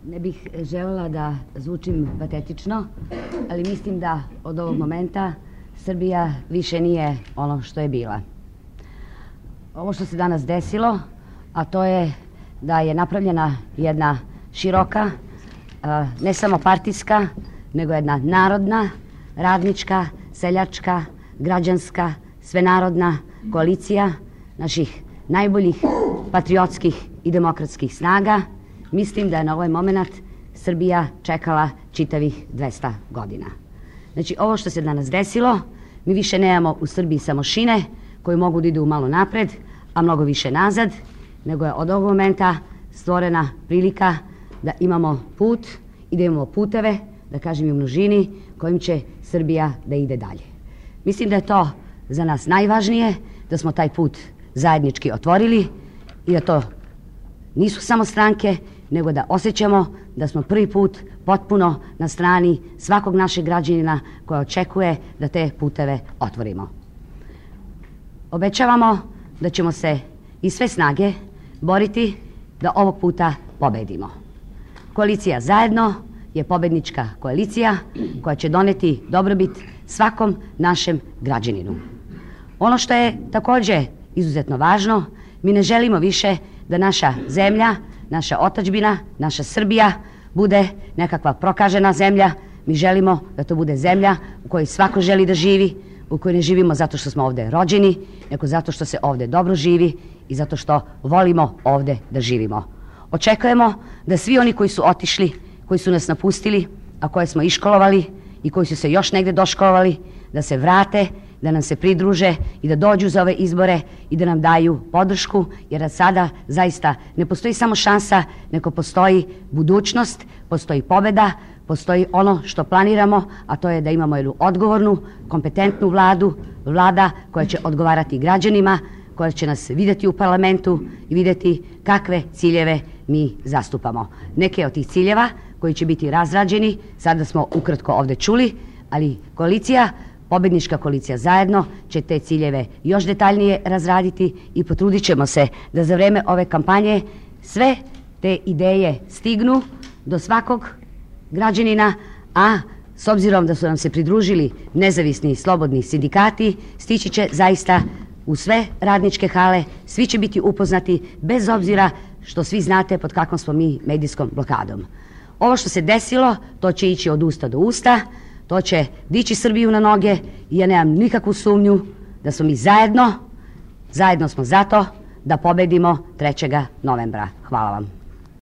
Ne bih želela da zvučim patetično, ali mislim da od ovog momenta Srbija više nije ono što je bila. Ovo što se danas desilo, a to je da je napravljena jedna široka, ne samo partijska, nego jedna narodna, radnička, seljačka, građanska, svenarodna koalicija naših najboljih patriotskih i demokratskih snaga. Mislim da je na ovaj moment Srbija čekala čitavih 200 godina. Znači, ovo što se danas desilo, mi više nemamo u Srbiji samo šine koji mogu da idu malo napred, a mnogo više nazad, nego je od ovog momenta stvorena prilika da imamo put i da imamo puteve, da kažem i u množini, kojim će Srbija da ide dalje. Mislim da je to za nas najvažnije, da smo taj put zajednički otvorili i da to nisu samo stranke, nego da osjećamo da smo prvi put potpuno na strani svakog našeg građanina koja očekuje da te puteve otvorimo. Obećavamo da ćemo se iz sve snage boriti da ovog puta pobedimo. Koalicija Zajedno je pobednička koalicija koja će doneti dobrobit svakom našem građaninu. Ono što je takođe izuzetno važno, mi ne želimo više da naša zemlja, naša otadžbina, naša Srbija bude nekakva prokažena zemlja. Mi želimo da to bude zemlja u kojoj svako želi da živi, u kojoj ne živimo zato što smo ovde rođeni, nego zato što se ovde dobro živi i zato što volimo ovde da živimo. Očekujemo da svi oni koji su otišli, koji su nas napustili, a koje smo iškolovali i koji su se još negde doškolovali, da se vrate, da nam se pridruže i da dođu za ove izbore i da nam daju podršku, jer od sada zaista ne postoji samo šansa, nego postoji budućnost, postoji pobeda, postoji ono što planiramo, a to je da imamo jednu odgovornu, kompetentnu vlada koja će odgovarati građanima, koja će nas videti u parlamentu i videti kakve ciljeve mi zastupamo. Neke od tih ciljeva koji će biti razrađeni, sada smo ukratko ovde čuli, ali pobednička koalicija Zajedno će te ciljeve još detaljnije razraditi i potrudit ćemo se da za vreme ove kampanje sve te ideje stignu do svakog građanina, a s obzirom da su nam se pridružili nezavisni i slobodni sindikati, stići će zaista u sve radničke hale, svi će biti upoznati bez obzira što svi znate pod kakvom smo mi medijskom blokadom. Ovo što se desilo, to će ići od usta do usta, to će dići Srbiju na noge i ja nemam nikakvu sumnju da smo mi zajedno smo zato da pobedimo 3. novembra. Hvala vam.